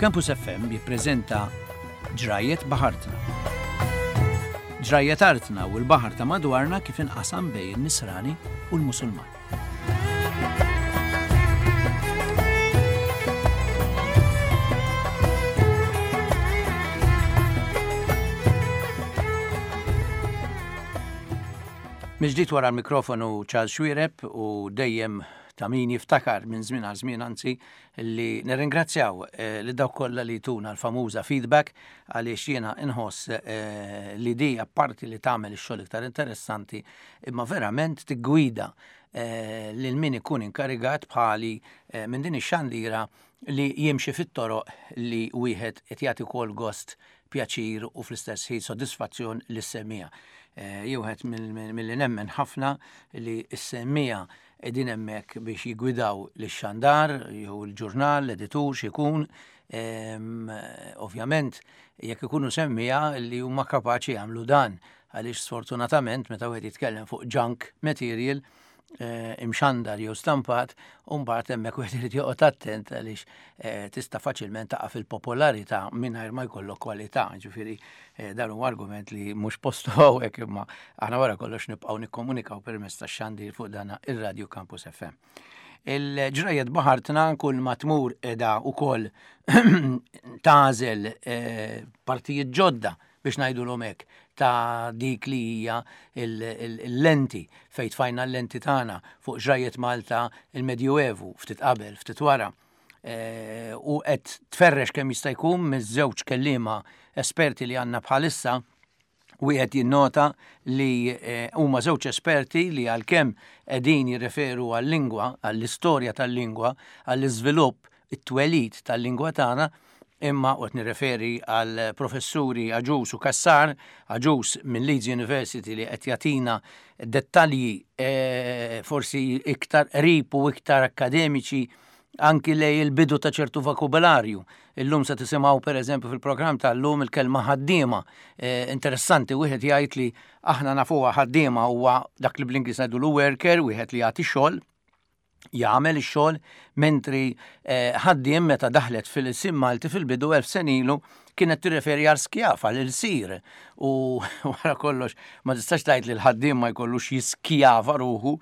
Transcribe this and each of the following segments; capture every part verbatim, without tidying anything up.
Campus F M jippreżenta Ġrajiet Baħartna. Ġrajiet artna u l-baħar ta' madwarna kif inqasam bejn in-Nisrani u l-Musulman. Mill-ġdid wara l-mikrofonu Charles Xuereb, u dejjem ta' min jiftakar minn żmien għal żmien, anzi, li nirringrazzjaw eh, li dawk kollha li tuna l-famuża feedback, għaliex jiena inħoss eh, li di apparti li tagħmel ix-xogħol iktar interessanti, imma verament tiggwida eh, lil min ikun inkarigat bħali minn din ix-xandira li jimxi fit-toroq li wieħed qed jagħti wkoll gost, pjaċir u fl-istess ħin sodisfazzjon lis-semmiegħa. Wieħed mill-li nemmen ħafna li s-semmiegħa qegħdin hemmhekk biex jigwidaw lix-xandar, jew il-ġurnal, l-editur, x'ikun, ovvjament jekk ikunu semmiegħa li huma kapaċi jagħmlu dan, għaliex sfortunatament meta wieħed jitkellem fuq junk material eh, imxandar jew stampat, u mbagħad hemmhekk wieħed irid joqgħod attent, għaliex eh, tista' faċilment taqa' fil-popolarità mingħajr ma jkollok kwalità. Ġifieri eh, dan huwa argument li mhux postu hawnhekk, imma aħna wara kollox nibqgħu nikkomunikaw permezz tax-xandir fuq dana ir-Radio Campus F M. Il-Ġrajiet Baħartna kull ma tmur qiegħda ukoll tagħżel partijiet ġodda, biex ngħidu hekk, ta' dik li hija il-lenti fejn tfajna l-lenti tagħna fuq ġrajiet Malta, il-Medjuevu, ftit qabel, ftit wara. E, u qed tferrex kemm jista' jkun miż-żewġ kelliema esperti li għandna bħalissa. Wieħed jinnota li eh, huma żewġ esperti li għalkemm qegħdin jirreferu għal-lingwa, għall-istorja tal-lingwa, għall-iżvilupp, it-twelid tal-lingwa tagħna, imma u nirreferi għal professuri Agius u Cassar, Agius minn Leeds University li qed jagħtina dettalji e, forsi iktar qrib u iktar akademiċi anki lejn il-bidu ta' ċertu vokabularju. Illum se tisimgħu, per eżempju, fil-programm tal-lum il-kelma ħaddiema. E, interessanti wieħed jgħid li aħna nafuha ħaddiema huwa dak li bl-Ingliż ngħidu worker, wieħed li jagħti xogħol, jagħmel ix-xogħol, mentri eh, ħaddiem meta daħlet fil-ilsien Malti fil-bidu elf sena ilu kienet tirreferi għal skjav, għal ilsir. U wara kollox ma tistax tgħid li l-ħaddiem ma jkollux jiskjava ruħu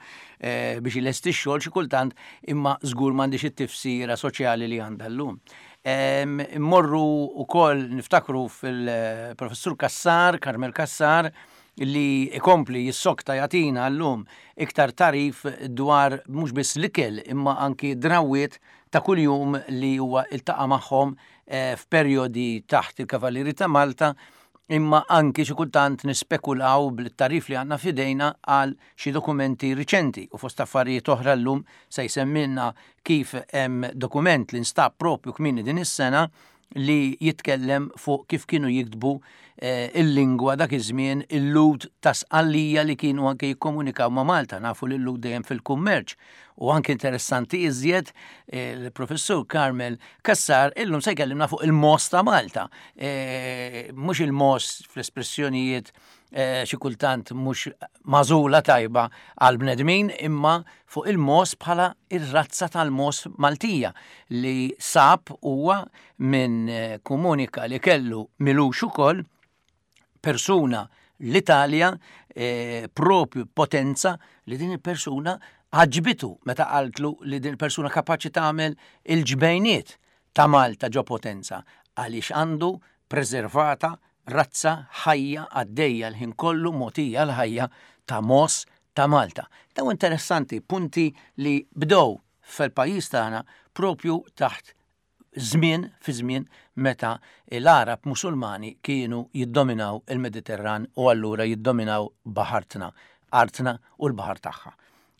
eh, biex ilesti x-xogħol xi kultant, imma żgur m'għandix it-tifsira soċjali li għandha llum. Immorru wkoll niftakru fil-professur Cassar, Carmel Cassar, li ikompli jissokta jagħtina llum iktar tagħrif dwar mhux biss l-ikel imma anki drawiet ta' kuljum li huwa iltaqa' magħhom eh, f'perjodi taħt il-Kavallieri ta' Malta, imma anki xi kultant nispekulaw bil-tagħrif li għandna f'idejna għal xi dokumenti riċenti. U fost affarijiet oħra llum se jsemmilna kif hemm dokument li nstab propju kmieni din is-sena li jitkellem fuq kif kienu jiktbu eh, il-lingwa dak iż-żmien il-Lhud ta' Sqallija li kienu anke jikkomunikaw ma' Malta. Nafu li l-Lhud dejjem fil-kummerċ. U anke interessanti iżjed, eh, il-professur Carmel Cassar illum se jkellimna fuq il-mogħoż ta' Malta. Eh, mhux il-mogħoż fl-espressjonijiet xi kultant mhux magħżula tajba għal bnedmin, imma fuq il-mogħoż bħala ir-razza tal-mogħoż Maltija li sab huwa minn komunika li kellu m'ilux ukoll persuna l-Italja, eh, propju Potenza, li din il-persuna għaġbitu meta qaltlu li din il-persuna kapaċi tagħmel il-ġbejniet ta' Malta ġo Potenza għaliex għandu preservata razza ħajja għaddejja l-ħin kollu, mogħtija l-ħajja ta' mogħoż ta' Malta. Daw interessanti punti li bdew fil-pajjiż tagħna propju taħt żmien fi żmien meta l-Arab Musulmani kienu jiddominaw il-Mediterran u allura jiddominaw baħartna, artna u l-baħar tagħha.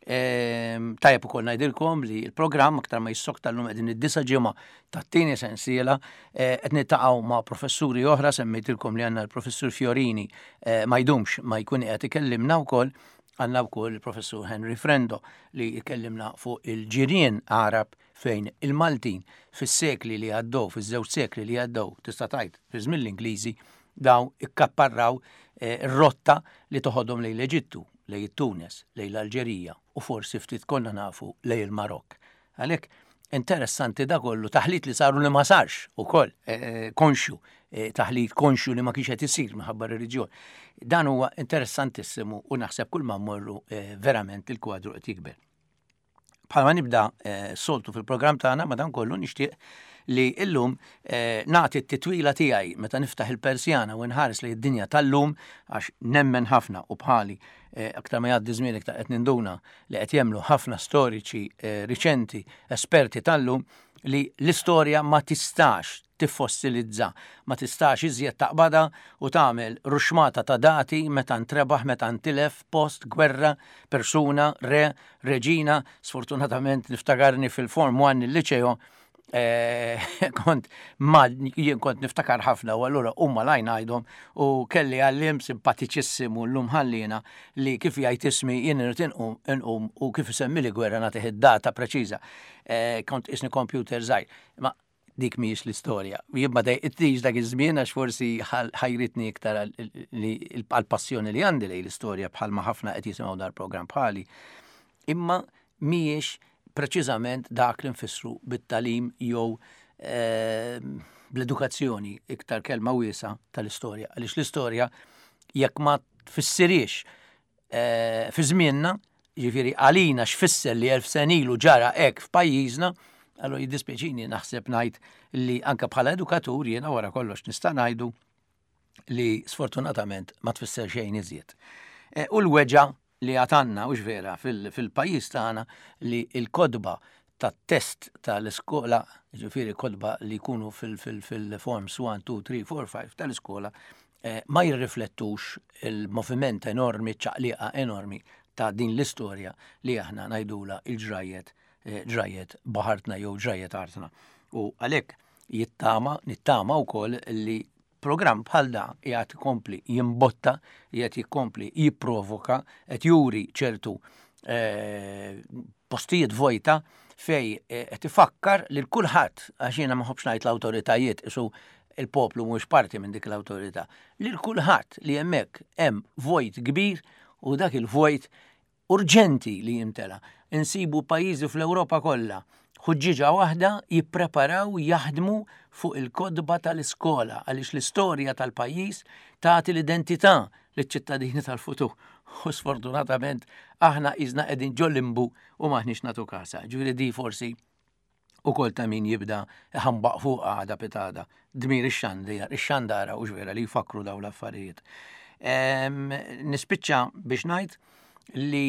Ehm, tajjeb ukoll ngħidilkom li l-programm aktar ma jissokta, llum qegħdin id-disa' ġimgħa tat-tieni sensiela, eh, qed niltaqgħu ma' professuri oħra. Semmejtilkom li għandna l-professur Fiorini, eh, ma jdumx ma jkun qed ikellimna wkoll. Għandna wkoll il-professur Henry Frendo li jkellimna fuq il-ġirien Arab, fejn il-Maltin fis-sekli li għaddew, fiż-żewġ sekli li għaddew, tista' tgħid fi żmien l-Ingliżi, daw ikkapparraw eh, rotta li toħodhom lejn l-Eġittu, lejn it-Tunes, lejn l-Alġerija u forsi ftit konna nafu lejn il-Marok. Għalhekk Interessanti da kollu, taħlit li saru li ma sarx ukoll, eh, konxju, eh, taħlit konxju li ma kienx qed isir minħabba reliġjon. Dan huwa interessantissimu u naħseb kull ma mmorru eh, verament il-kwadru qed jikber. Bħalma nibda soltu fil-programm tagħna, madankollu nixtieq li illum eh, nagħti t-titwila tiegħi meta niftaħ il-persjana u nħares li d-dinja tal-lum, għax nemmen ħafna u bħali eh, aktar ma jgħaddi żmien iktar qed ninduna li qed jemmnu ħafna storiċi eh, riċenti, esperti tal-lum, li l-istorja ma tistax tiffossilizza, ma tistax iżjed taqbada u tagħmel ruxmata ta' dati meta ntrebaħ, meta ntilef, post, gwerra, persuna, re, reġina. Sfortunatament niftakarni fil-Form one il-liċeo, eh, kont ma jien kont niftakar ħafna u allura huma lajn għajdhom u kelli għallim simpatiċissimu llum ħallina li kif jgħid ismi jien irid inqum u kif isemmi li gwerra nagħtih id-data preċiża. Eh, kont isni computer żgħir. Ma dik mhijiex l-istorja. Jien ma dejqitnix dak iż-żmien għax forsi ħajritni iktar għall-passjoni li għandi lejn l-istorja, bħalma ħafna qed jisimgħu dar-programm bħali. Imma mhijiex preċiżament dak li nfissru bit-tagħlim jew eh, bl-edukazzjoni, iktar kelma wiesa, tal-istorja. Għaliex l-istorja jekk ma tfissirix eh, fi żmienna, ġifieri għalina x'fisser li elf sena ilu ġara hekk f'pajjiżna, allora jiddispjaċini naħseb ngħid li anka bħala edukatur jiena wara kollox nista' ngħidu li sfortunatament ma tfisser xejn iżjed. Eh, u l-weġa li għatanna, u vera, fil-pajjiż tagħna li il-kotba tat-test tal-iskola, ġifieri kotba li jkunu fil-forms one, two, three, four, five tal-iskola, eh, ma jirriflettux il-moviment enormi, ċaqliqa enormi ta' din l-istorja li aħna ngħidula il-ġrajiet, eh, ġrajiet baħartna jew ġrajiet artna. U għalhekk jittama, nittama wkoll li programm bħal da qiegħed ikompli jimbotta, qiegħed jikompli jipprovoka, qed juri ċertu eh, postijiet vojta fej eh, qed ifakkar lil kulħadd, għax jiena ma nħobbx ngħid l-awtoritajiet, isu il-poplu mhux parti minn dik l-awtorità, lil kulħadd li hemmhekk hemm vojt kbir u dak il-vojt urġenti li jimtela. Insibu pajjiżi fl-Ewropa kollha ħuġġiġa waħda jippreparaw, jaħdmu fuq il-kotba tal-iskola għaliex l-istorja tal-pajjiż tagħti l-identità liċ-ċittadini tal-futur. U sfortunatament aħna iżna qegħdin ġol-limbu u maħniex nagħtu kasa. Ġifieri di forsi ukoll ta' min jibda ħambaq fuq għada pitada. Dmir ix-xandara u vera li jfakru daw l-affarijiet. Nispiċċa biex ngħid li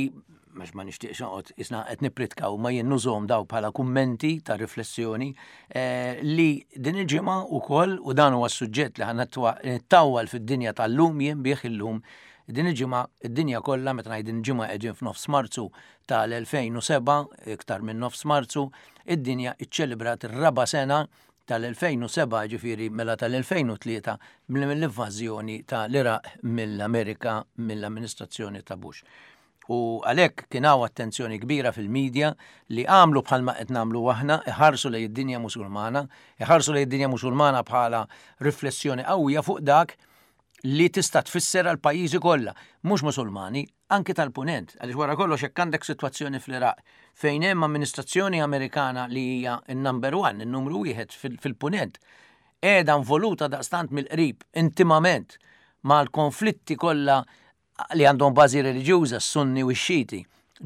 għax ma nixtieqx noqgħod isna qed nippritka u ma jien nużhom daw bħala kummenti ta' riflessjoni, eh, li din il-ġimgħa wkoll, u dan huwa s-suġġett li ħa nittawwal fid-dinja tal-lum jien bih illum, din il-ġimgħa id-dinja kollha, meta ngħid din il-ġimgħa qegħdin f'nofs Marzu tal-elfejn u sebgħa, iktar minn nofs Marzu, id-dinja iċċelebrat ir-raba' sena tal-elfejn u sebgħa, ġifieri mela tal-elfejn u tlieta, mill-invażjoni tal-Iraq mill-Amerika, mill-amministrazzjoni ta' Bush. U għalhekk kien hawn attenzjoni kbira fil-medja li għamlu bħalma qed nagħmlu aħna, iħarsu lejn id-dinja Musulmana, iħarsu lejn id-dinja Musulmana bħala riflessjoni qawwija fuq dak li tista' tfisser għal pajjiżi kollha, mhux Musulmani, anki tal-Punent, għaliex wara kollox hekk għandek sitwazzjoni fl-Iraq fejn hemm amministrazzjoni Amerikana li hija n-number one, in-numru wieħed fil-Punent, qiegħda involuta daqstant mill-qrib, intimament, mal-konflitti kollha li għandhom bażi reliġjuża, s-Sunni u x-Xiti.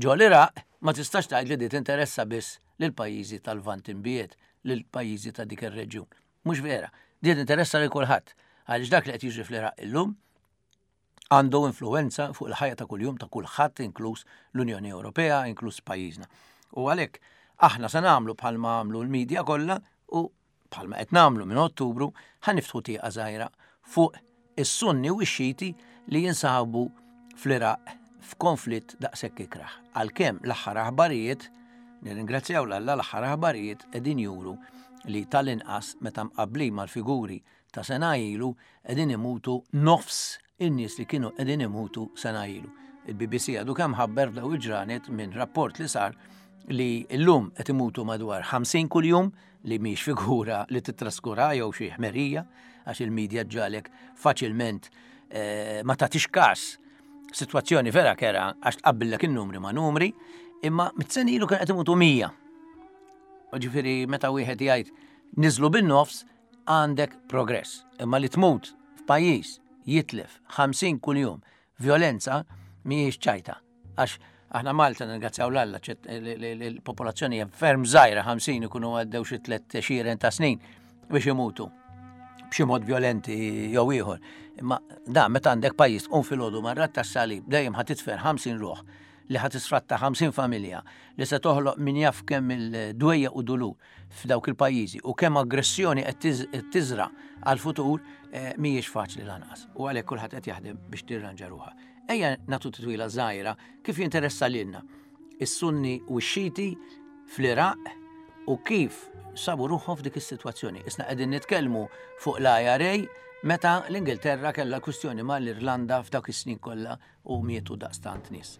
Ġo l-Iraq, ma tistax tgħid li di tinteressa biss lil pajjiżi tal-Lvant Imbiegħed, lil pajjiżi ta' dik ir-reġjun. Mhux vera, di tinteressa lil kulħadd, għaliex dak li qed jiġri fl-Iraq illum għandu influenza fuq il-ħajja ta' kuljum ta' kulħadd, inkluż l-Unjoni Ewropea, inkluż pajjiżna. U għalhekk aħna se nagħmlu bħalma għamlu l-medja kollha u bħalma qed nagħmlu minn Ottubru, ħa niftħu tieqa żgħira fuq is-Sunni u x-Xiti li jinsabu fl-Iraq f'konflitt daqshekk ikraħ. Għalkemm l-aħħar aħbarijiet, nirringrazzjaw 'l Alla, l-aħħar aħbarijiet qegħdin juru li tal-inqas meta mqabbli mal-figuri ta' sena ilu qegħdin imutu nofs in-nies li kienu qegħdin imutu sena ilu. Il-B B C għadu kemm ħabber f'daw il-ġranet minn rapport li sar li llum qed imutu madwar ħamsin kuljum, li mhix figura li titraskura jew xi ħmerija, għax il-medja ġalek faċilment eh, ma tagħtix każ sitwazzjoni vera kera għax tqabbillek in-numri ma' numri, imma mit sena ilu kien qed imutu mija. Ġifieri meta wieħed jgħid niżlu bin-nofs għandek progress. Imma li tmut f'pajjiż jitlef ħamsin kuljum violenza mhijiex ċajta. Għax aħna Malta nirringrazzjaw 'l Alla, l-popolazzjoni hija ferm żgħira, ħamsin ikunu għaddew xi tliet għexieren ta' snin biex imutu b'xi mod violenti jew ieħor. Imma da meta għandek pajjiż tqum filgħodu mar-radd tas-salib dejjem ħa tidfen ħamsin ruħ li ħa tisfratta ħamsin familja li se toħloq min jaf kemm il-dwejja u dulur f'dawk il-pajjiżi u kemm aggressjoni qed tiżra għal-futur, mhijiex faċli lanqas. U għalhekk kulħadd qed jaħdem biex tirranġa ruħha. Ejja nagħtu titwila żgħira kif jinteressa lilna is-Sunni u x-Xiti fl-Iraq u kif sabu ruħhom f'dik is-sitwazzjoni. Isna qegħdin nitkellmu fuq l-I R A meta l-Ingilterra kellha kwistjoni mal-Irlanda f'dawk is-snin kollha u mietu daqstant nies.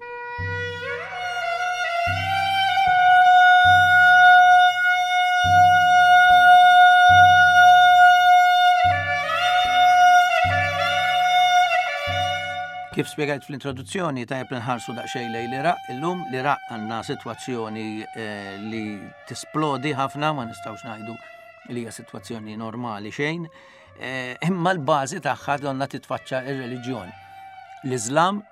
Kif spjegajt fl-introduzzjoni, tajjeb li nħarsu daqsxejn lejn l-Iraq. Illum l-Iraq għandna sitwazzjoni eh, li tisplodi ħafna, ma nistgħux ngħidu li hija sitwazzjoni normali xejn. Eh, imma l-bażi tagħha donna titfaċċa ir-reliġjon. L-Iżlam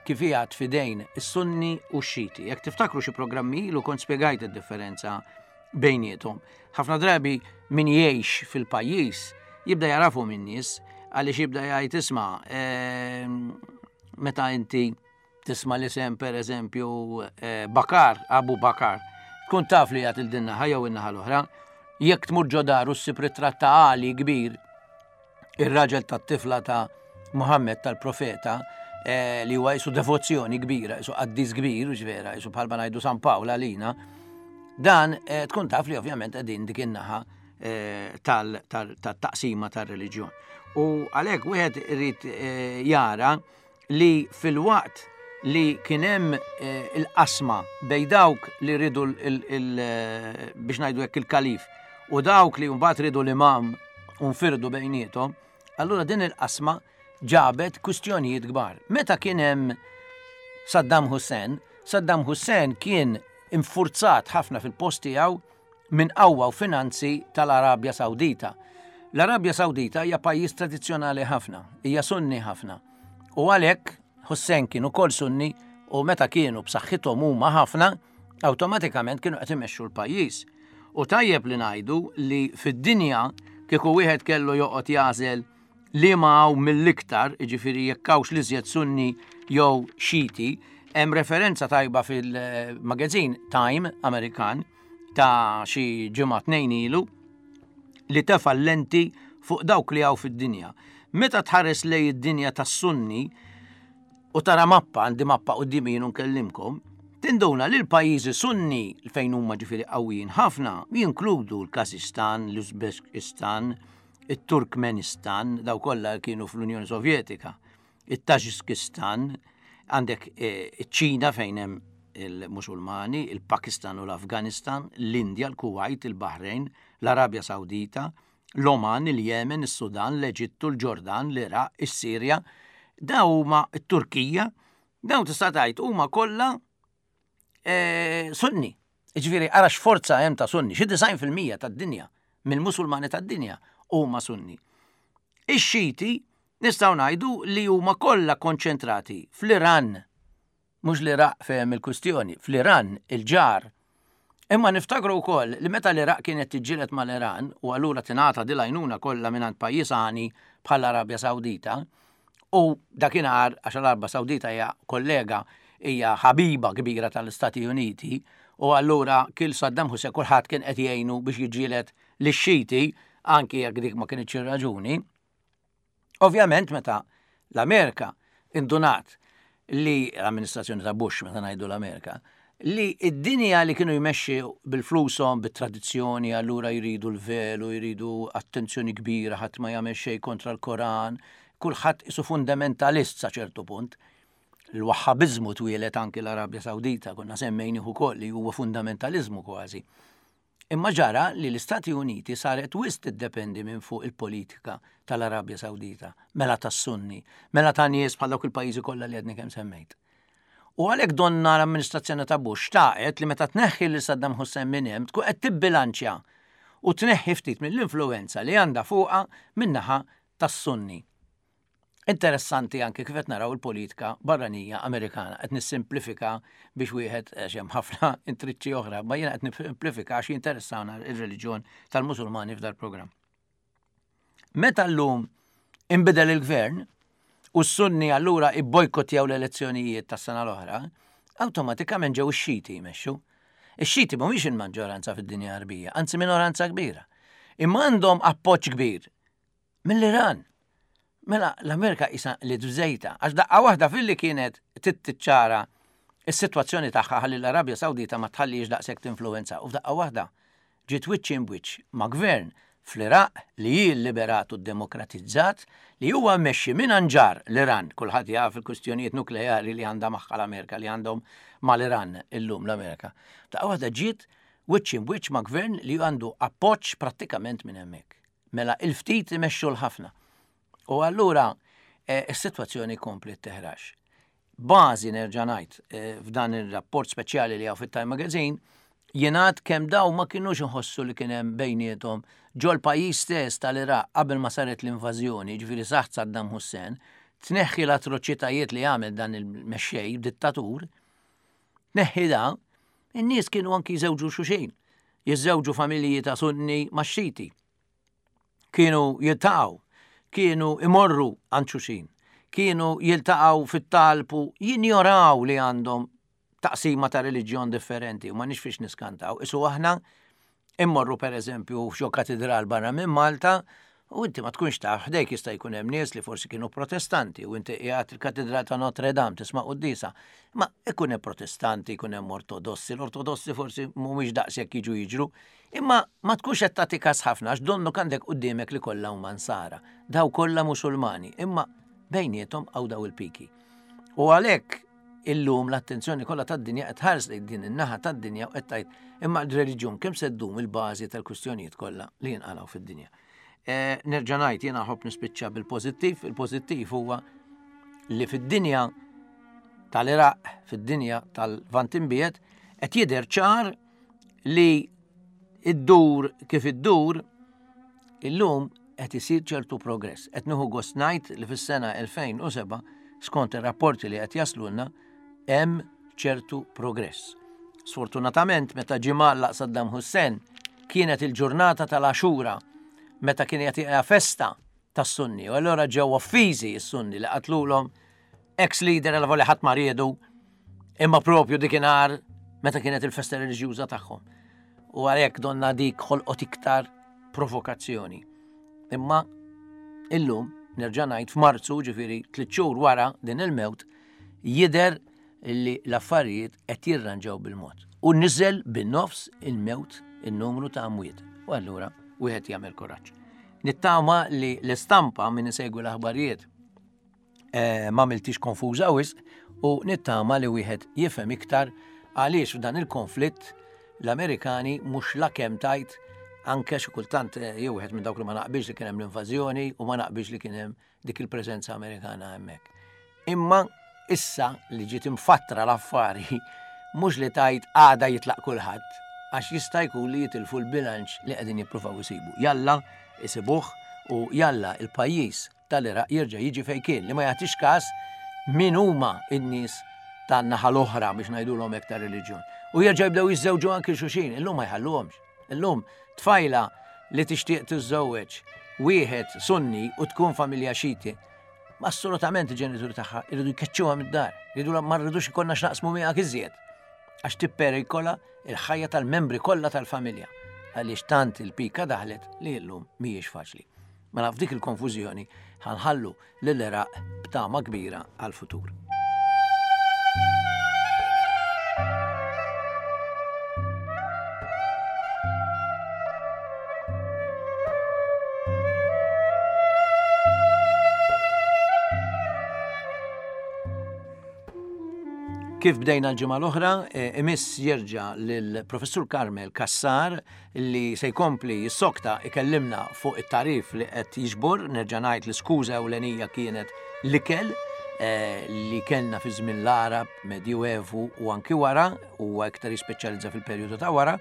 kif qiegħed fidejn is-Sunni u x-Xiti. Jekk tiftakru xi programmi ilu kont spjegajt id-differenza bejniethom. Ħafna drabi min jgħix fil-pajjiż jibda jarafu minn nies għaliex jibda jgħid isma' ehm, meta inti tisma' l-isem per eżempju eh, Bakar, Abu Bakar, tkun taf li jgħat il-din-naħa jew in-naħa l-oħra. Jekk tmur ġo daru ssib ritratt ta' Ali kbir, ir-raġel tat-tifla ta' Muhammad tal-profeta, eh, li huwa jisu devozzjoni kbira, jisu qaddis kbir, u vera, jisu bħalma ngħidu San Pawl għalina, dan eh, tkun taf li ovvjament qegħdin dik in-naħa tal-taqsima tar-reliġjon. U għalhekk wieħed irid jara li fil-waqt li kien hemm il-qasma bej dawk li ridu biex ngħidu hekk il-kalif u dawk li mbagħad ridu l-imam u nfirdu bejniethom, allura din il-qasma ġabet kwistjonijiet kbar. Meta kien hemm Saddam Hussein, Saddam Hussein kien infurzat ħafna fil-post tiegħu minn qawwa u finanzi tal-Arabja Sawdita. L-Arabja Sawdita hija pajjiż tradizzjonali ħafna, hija Sunni ħafna. U għalhekk Hussein kien ukoll Sunni u meta kienu b'saħħithom huma ħafna, awtomatikament kienu qed imexxu l-pajjiż. U tajjeb li ngħidu li fid-dinja kieku wieħed kellu joqgħod jagħżel li ma hawn mill-iktar, jiġifieri jekk hawnx l-iżjed Sunni jew Xiti, hemm referenza tajba fil-magazine Time Amerikan ta' xi ġimgħa tnejn ilu li tefa' lenti fuq dawk li hawn fid-dinja. Meta tħares lej id-dinja tas-Sunni u tara mappa, għandi mappa quddiemi jien nkellimkom, tinduna li l-pajjiżi Sunni fejn huma ġifieri qawwijin ħafna jinkludu l-Kazistan, l-Uzbekistan, it-Turkmenistan, daw kollha kienu fl-Unjoni Sovjetika, it-Taġikistan, għandek iċ-Ċina fejn hemm il-Musulmani, il-Pakistan u l-Afganistan, l-Indja, l-Kuwait, il-Bahrejn, l-Arabja Sawdita, l-Oman, il-Jemen, is-Sudan, l-Eġittu, l-Ġordan, l-Iraq, is-Sirja, daw huma t-Turkija, daw tista' tgħid huma kollha Sunni. Ġifieri ara x'forza hemm ta' Sunni, xi disgħin fil-mija tad-dinja mill-Musulmani tad-dinja huma Sunni. Ix-Xiti nistgħu ngħidu li huma kollha konċentrati fl-Iran, mhux l-Iraq fejn il-kwistjoni, fl-Iran il-ġar. Imma niftakru wkoll li meta l-Iraq kienet tiġġieled mal-Iran u allura tingħata din l-għajnuna kollha mingħand pajjiż għani bħall-Arabja Sawdita, u dakinhar għax l-Arabja Sawdita hija kollega, hija ħabiba kbira tal-Istati Uniti, u allura kil Saddam Hussein kulħadd kien qed jgħinu biex jiġġieled lix-Xiti, anki jekk dik ma kinitx ir-raġuni. Ovvjament meta l-Amerika indunat li l-amministrazzjoni ta' Bush, meta ngħidu l-Amerika, li id-dinja li kienu jmexxi bil-flushom, bit-tradizzjoni, allura jridu l-velu, jridu attenzjoni kbira, ħadd ma jagħmel xejn kontra l-Koran, kulħadd isu fundamentalist sa ċertu punt. Il-Wahhabiżmu twieled anki l-Arabja Sawdita, konna semmejnieh ukoll li huwa fundamentaliżmu kważi. Imma ġara li l-Istati Uniti saret wisq tiddependi minn fuq il-politika tal-Arabja Sawdita, mela tas-Sunni, mela ta' nies bħal dawk il-pajjiżi kollha li għadni kemm semmejt. U għalhekk donna l-amministrazzjoni ta' Bush xtaqet li meta tneħħi lil Saddam Hussein minn hemm tkun qed tibbilanċja u tneħħi ftit mill-influenza li għandha fuqha min-naħa tas-Sunni. Interessanti anke kif qed naraw il-politika barranija Amerikana. Qed nissimplifika biex wieħed, għax hemm ħafna intriċċi oħra, ma jiena qed nissimplifika għax jinteressawna ir-reliġjon tal-Musulmani f'dal-programm. Meta llum inbidel il-gvern u s-Sunni allura ibbojkottjaw l-elezzjonijiet tas-sena l-oħra, awtomatikament ġew ix-Xiti jmexxu. Ix-Xiti mhumiex il-maġġoranza fid-dinja Għarbija, anzi minoranza kbira. Imma għandhom appoġġ kbir mill-Iran. Mela l-Amerika isa li tżejta, għax daqqa waħda filli kienet tittiċċara is-sitwazzjoni tagħha ħalli l-Arabja Sawdita ma tħallix daqshekk tinfluwenza, u f'daqqa waħda ġiet wiċċ imbwiċċ ma' gvern fl-Iraq li hi liberat u demokratizzat, li huwa mmexxi minn anġar l-Iran. Kulħadd jaf il-kwistjonijiet nukleari li għandha magħha l-Amerika, li għandhom mal-Iran illum l-Amerika. Daqqa waħda ġiet wiċċ imbwiċċ ma' gvern li għandu appoġġ prattikament minn hemmhekk. Mela il-ftit imexxu l-ħafna. U allura is-sitwazzjoni kompli teħrax. Bażi nerġa' ngħid f'dan ir-rapport speċjali li hawn fit-Time Magazine, jingħad kemm daw ma kinux iħossu li kien hemm bejniethom ġol pajjiż stess tal-Iraq qabel ma saret l-invażjoni, ġifieri saħt Saddam Hussein, tneħħi l-atroċitajiet li għamel dan il-mexxej dittatur, tneħħi da, in-nies kienu anki jżewġu xulxin, jiżżewġu familji ta' Sunni ma' Xiti. Kienu jiltaqgħu, kienu imorru għand xulxin, kienu jiltaqgħu fit-talb u jinjoraw li għandhom taqsima ta' reliġjon differenti, u ma nix fiex niskantaw. Isu aħna immorru per eżempju f'xi katedral barra minn Malta u inti ma tkunx taf, ħdejk jista' jkun hemm nies li forsi kienu protestanti u inti qiegħed il-katedral ta' Notre Dame tisma' quddiesa. Ma ikun hemm protestanti, ikun hemm ortodossi, l-ortodossi forsi mhumiex daqshekk jiġu jiġru, imma ma tkunx qed tagħti każ ħafna għax donnu għandek quddiemek li kollha huma nsara, daw kollha Musulmani, imma bejniethom hawn daw il-piki. U għalhekk illum l-attenzjoni kollha tad-dinja qed tħares lejn din in-naħa tad-dinja u qed tgħid imma l-reliġjon kemm se ddum il-bażi tal-kwistjonijiet kollha li jinqalgħu fid-dinja. Nerġa' ngħid, jiena nħobb nispiċċa bil-pożittiv, il-pożittiv huwa li fid-dinja tal-Iraq, fid-dinja tal-Lvant Imbiegħed, qed jidher ċar li iddur kif iddur illum qed isir ċertu progress. Qed nieħu gost ngħid li fis-sena elfejn u seba', skont ir-rapporti li qed jaslulna, hemm ċertu progress. Sfortunatament, meta ġie mgħallaq Saddam Hussein, kienet il-ġurnata tal-Axura, meta kien qed jaqgħa festa tas-Sunni, u allura ġew offiżi s-Sunni li qatlulhom ex-leader għal voli ħadd ma riedu, imma propju dikinhar meta kienet il-festa reliġjuża tagħhom. U għalhekk donna dik ħolqot iktar provokazzjoni. Imma illum, nerġa' ngħid, f'Marzu, ġifieri tliet xhur wara din il-mewt, jidher li l-affarijiet qed jirranġaw bil-mod. U niżel bin-nofs il-mewt in-numru ta' amwiet. U allura wieħed jagħmel kuraġġ. Nittama li l-istampa min isegwi l-aħbarijiet, eh, ma miltix konfuża wisq, u nittama li wieħed jifhem iktar għaliex f'dan il-konflitt l-Amerikani mhux la kemm tajt, anke xi kultant, eh, jew wieħed minn dawk li ma naqbilx li kien hemm l-invażjoni u ma naqbilx li kien hemm dik il-preżenza Amerikana hemmhekk. Imma issa li ġiet imfattra l-affari mhux li tajt għada jitlaq kulħadd, għax jista' jkun li jitilfu l-bilanċ li qegħdin jippruvaw isibu. Jalla isibuh u jalla il-pajjiż tal-Iraq jerġa' jiġi fejn kien, li ma jagħtix każ min huma n-nies tan-naħa l-oħra biex ngħidulhom hekk ta' reliġjon. U jerġa' jibdew jiżżewġu anki xulxin, illum ma jħalluhomx. Illum tfajla li tixtieq tiżżewweġ wieħed Sunni u tkun familja Xiti, ma assolutament il-ġenituri tagħha jridu jkeċċuha mid-dar, jridu ma rridux ikollna x'naqsmu miegħek iżjed, għax tipperikola il-ħajja tal-membri kollha tal-familja, għaliex tant il-pika daħlet li llum mhijiex faċli. Mela f'dik il-konfużjoni ħanħallu lill-Iraq b'tama kbira għall-futur. Kif bdejna l-ġimgħa l-oħra, eh, imiss jerġa' lill-Professur Carmel Cassar li se jkompli jissokta ikellimna fuq it-tarif li qed jiġbor. Nerġa' ngħid li skuża ewlenija kienet l-ikel, eh, li kellna fi żmien l-Arab, Medjuevu u anki wara, u iktar jispeċjalizza fil-perjodu ta' wara.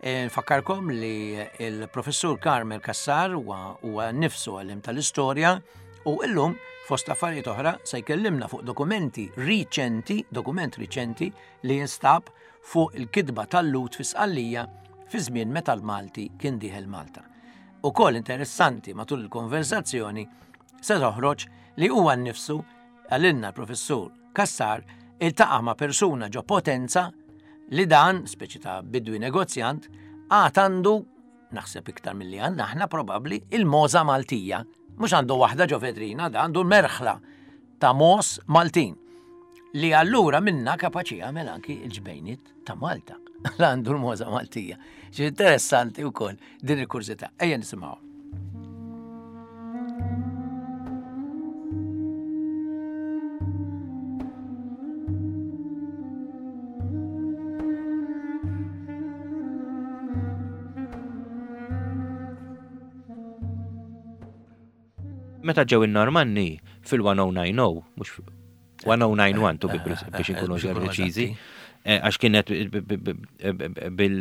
Eh, nfakkarkom li il-professur Carmel Cassar huwa huwa nnifsu għalliem tal-istorja u illum fost affarijiet oħra se jkellimna fuq dokumenti riċenti, dokument riċenti li jinstab fuq il-kitba tal-Lhud fi Sqallija fi żmien meta l-Malti kien dieħel Malta. Ukoll interessanti matul il-konversazzjoni se toħroġ li huwa nnifsu għalinna l-professur Cassar iltaqa' ma' persuna ġo Potenza li dan, speċi ta' bidwi negozjant, għad għandu, naħseb iktar milli għandna aħna probabbli, il-mogħża Maltija. Mhux għandu waħda ġo vetrina, da għandu merħla ta' mogħoż Maltin. Li allura minna kapaċi jagħmel anki il-ġbejniet ta' Malta. Għandu l-mogħża Maltija. Xi interessanti wkoll din il-kurżità. Ejja nisimgħu. Meta ġew in-Normanni fil-elf u disa' mija u disgħin, mhux elf u disa' mija u disgħa u disgħin to be pre- biex inkunu preċiżi, eh, għax kienet bil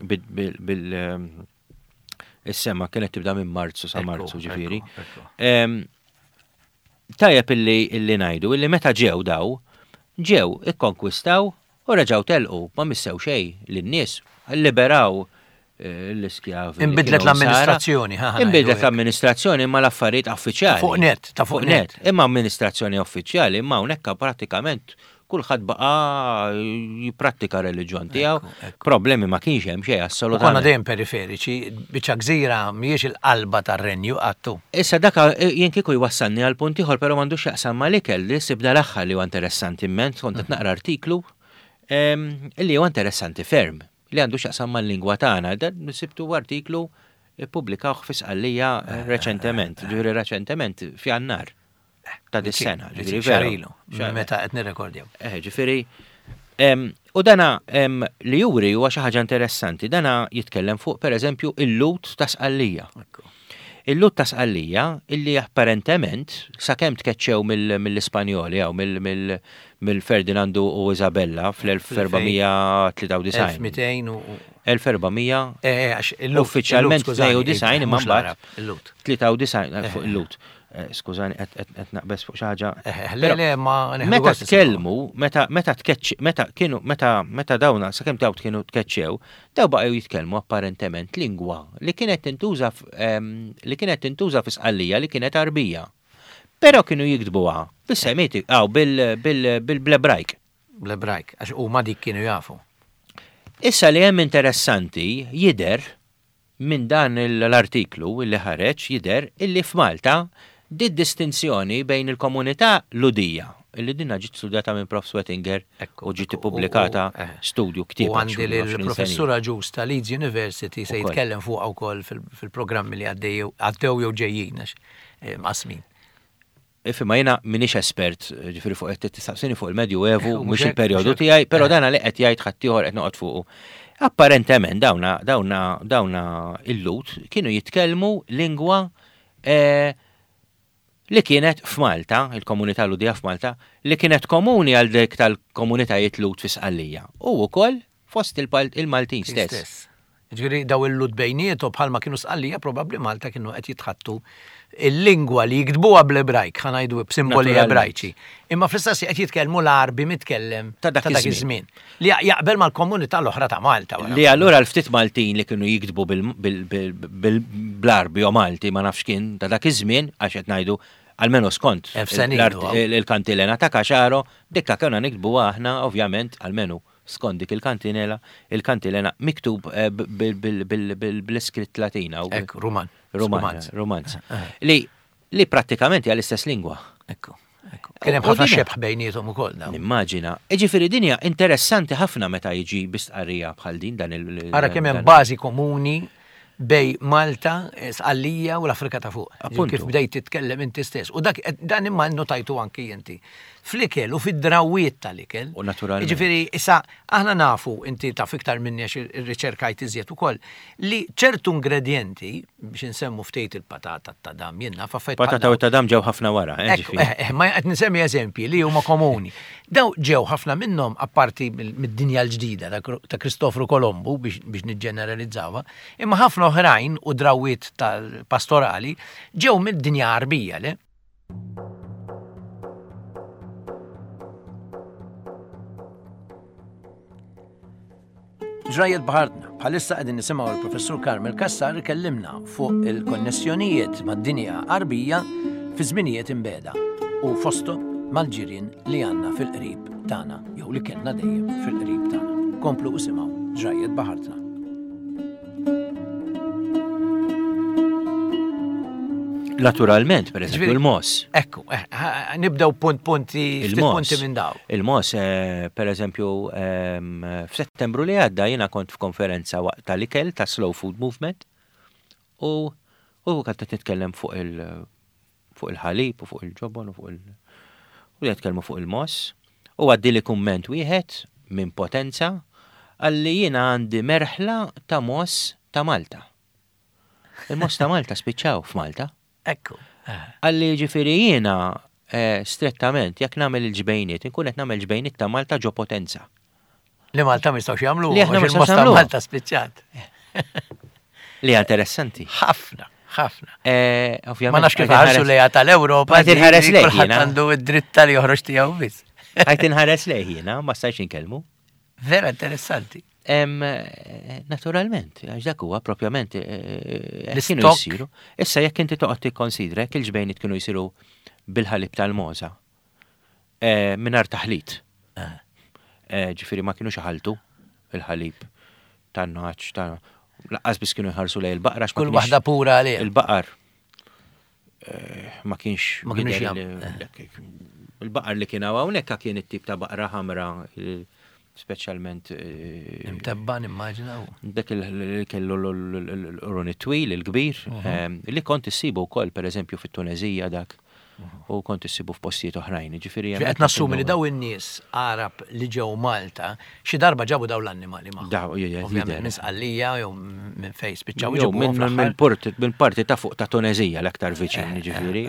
bil bil bil is-sema kienet tibda minn Marzu sa Marzu ġifieri. Em, Tajjeb illi illi ngħidu illi meta ġew daw, ġew ikkonkwistaw u reġgħu telqu, ma missew xejn lin-nies, liberaw eh, l-iskjavi li Inbidlet kienu l-amministrazzjoni, nsara. ħa, ħa Inbidlet ngħidu hekk. l-amministrazzjoni imma l-affarijiet uffiċjali. Ta' fuq net, ta' fuq net. Imma amministrazzjoni uffiċjali, imma hawnhekk pratikament kulħadd baqa' jipprattika reliġjon tiegħu. ekku. Problemi ma kienx hemm xejn U konna assolutament. dejjem periferiċi, biċċa gżira mhijiex il-qalba tar-renju għattu. Issa daka eh, jien kieku jwassalni għal punt ieħor, però m'għandux jaqsam mal-ikel li sibda l-aħħar li huwa interessanti immens, kont qed naqra artiklu em, li huwa interessanti ferm, li għandu x'jaqsam mal-lingwa tagħna. Dan sibtu artiklu ippubblikawh fi Sqallija eh, reċentement, ġifieri reċentement f'Jannar ta' dis-sena, ġifieri veru. Xahar ilu, Xahar- meta qed nirrekordjaw. Eh, ġifieri, em, u dana em, li juri huwa xi ħaġa interessanti, dana jitkellem fuq pereżempju il-Lhud ta' Sqallija. Il-Lhud ta' Sqallija illi apparentement sakemm tkeċċew mill- mill-Ispanjoli jew mill- mill-Ferdinandu u Isabella fl-elf erba' mija tlieta u disgħin. elf mitejn u. elf erba' mija Eh, għax il-Lhud. Uffiċjalment tnejn u disgħin imma mhux mbagħad l-Arab, il-Lhud. tlieta u disgħin eh, fuq il-Lhud. Eh, Skużani, qed qed naqbeż fuq xi ħaġa. Eh, le, Però le, ma neħdu Meta gost nisimgħu. tkellmu, meta meta tkeċċ, meta kienu meta meta dawna sakemm daw kienu tkeċċew, daw baqgħu jitkellmu apparentement lingwa li kienet tintuża f- em, li kienet tintuża fi Sqallija li kienet Arbija. Però kienu jiktbuha bis-Semiti, aw bil bil bil-Ebrajk. Bl-Ebrajk, għax huma dik kienu jafu. Issa li hemm interessanti jider minn dan l-artiklu li ħareġ jider illi f'Malta di distinzjoni bejn il-komunità Lhudija illi dinna ġiet studjata minn Prof Sweatinger Ekku, u ġiet ekku, ippubblikata u- u- eh. studju ktieb U għandi li għaxrin sena. l-professur Agius ta' Leeds University se Ukoll. jitkellem fuq wkoll fil-programmi li għaddew għaddew jew ġejjin għax eh, mqasmin. Ifima jiena minix espert, ġifieri fuq qed tistaqsini fuq il-Medju Evu, Eh, u mhux mhux hekk, il-perjodu mhux hekk. tiegħi, però Eh. dana li qed jgħid ħaddieħor qed noqgħod fuqu. Apparentement dawna dawna dawna il-Lhud kienu jitkellmu lingwa eh, li kienet f'Malta, il-komunità Lhudija f'Malta, li kienet komuni għal dik tal-komunitajiet Lhud fi Sqallija. U wkoll fost il-Pal- il-Maltin stess. Ġifieri daw il-Lhud bejnietu bħalma kienu Sqallija, probabbli Malta kienu qed jitħattu il-lingwa li jiktbuha bl-Ebrajk, ħa ngħidu b'simboli Naturalment. Ebrajċi. Imma fl-istess qed jitkellmu l-Arbi mitkellem Ta' dak iż-żmien. iż-żmien. Li jaqbel mal-komunità l-oħra ta' Malta. wara. Li allura l-ftit Maltin li kienu jiktbu bil- bil- bil- bil- bl-Arbi u Malti ma nafx kien ta' dak iż-żmien għax qed ngħidu almenu skont Elf sena l-art- ilu, għaw. il-kantilena ta' Caxaro, dikka konna niktbu aħna ovvjament almenu skont dik il-kantinela, il-kantilena miktub eh, bil- bil- bil- bil- bl-iskritt Latina. u- Ekku, Ruman. Ruman, Rumanz. Rumanz. Li li prattikament hija l-istess lingwa. Ekku, ekku. Kien hemm U- u ħafna dina- xebħ bejniethom ukoll dawn. Nimmaġina. Iġifieri dinja interessanti ħafna meta jiġi bistqarrija bħal din dan il- Ara kemm hemm dan- bażi komuni bejn Malta, Sqallija u l-Afrika ta' fuq. Appuntu. Kif bdejt titkellem inti stess. U dak dan imma notajtu anki inti. Fl-ikel u fid-drawiet tal-ikel. U naturalment. Jiġifieri, issa aħna nafu, inti taf iktar minni għax irriċerkajt iżjed ukoll, li ċertu ingredienti, biex insemmu ftit il-patata ta' dam, jien naf affarijiet bħal Patata u tadam ġew ħafna wara, eh, Ekku, ġifieri. eh, eh, ma qed nsemmi eżempji li huma komuni. Daw ġew ħafna minnhom apparti mill- mid-dinja l-ġdida ta' Kro- ta' Kristofru Kolombu biex, biex niġġeneralizzawha, imma ħafna oħrajn u drawiet tal-pastorali ġew mid-dinja Għarbija, le? Ġrajiet B'Ħartna, bħalissa qegħdin nisimgħu l-Professur Carmel Cassar ikellimna fuq il-konnessjonijiet mad-dinja Għarbija fi żminijiet imbiegħda u fosthom mal-ġirien li għandna fil-qrib tagħna jew li kellna dejjem fil-qrib tagħna. Komplu isimgħu Ġrajiet B'Ħartna. Naturalment, per eżempju, Ġifieri- il-mogħoż. Ekku, eh, ha- nibdew punt punti, ftit Il-mogħoż. punti minn daw. Il-mogħoż, eh, per eżempju, ehm, f'Settembru li għadda jiena kont f'konferenza waqt tal-ikel ta' Slow Food Movement u u kont qed nitkellem fuq il- fuq il-ħalib u fuq il-ġobon u fuq il- u nitkellmu fuq il-mogħoż u għaddi kumment wieħed minn Potenza għalli jiena għandi merħla ta' mogħoż ta' Malta. Il-mogħoż ta' Malta spiċċaw f'Malta. Ekku. eh, Għalli ġifieri jiena eh, strettament, jekk nagħmel il-ġbejniet, inkun qed nagħmel ġbejniet ta' Malta ġo Potenza. Li Malta ma jistgħux jagħmlu, Li aħna ma għax nistgħux il-mogħoż ta' nagħmluha. Malta spiċċat. Li hija interessanti. Ħafna, ħafna. Eh, Ovvjament. Ma nafx kif għajt ħarsu inħares- lejha tal-Ewropa. Għajt inħares di- lejh Kulħadd jiena. għandu id-dritt tal joħroġ tiegħu biss. Għajt inħares lejh jiena, ma stajx inkellmu. Vera interessanti. Em, eh, Naturalment, għax dak huwa propjament eh, eh, kienu L-istock. jsiru. Issa jekk inti toqgħod tikkonsidra jekk il-ġbejniet kienu jsiru bil-ħalib tal-mogħża eh, mingħajr taħlit. Eh, Ġifieri ma kienux iħaltu il-ħalib tan-nagħaġ ta' lanqas biss kienu jħarsu lejn il-baqra għax ma Kull kienx- waħda pura għalih. Il-baqar eh, ma kienx Ma kienux jidher jam- li- Il-baqar li kien hawnhekk kien it-tip ta' baqra ħamra, eh, speċjalment eh, Imtebba nimmaġina u. dak il- li kellu l-qrun it-twil, il-kbir, ehm, li kont issibu wkoll pereżempju fit-Tunezija dak u kont issibu f'postijiet oħrajn. Ġifieri Qed nassumi li daw in-nies Arab li ġew Malta xi darba ġabu daw l-annimali magħhom. Daw, jidher, Ovvjament jidher. minn Sqallija jew minn fejn spiċċaw Jew iġibuhom minn fl-aħħar. minn port- minn parti ta' fuq ta' Tunezija l-aktar viċin, ġifieri.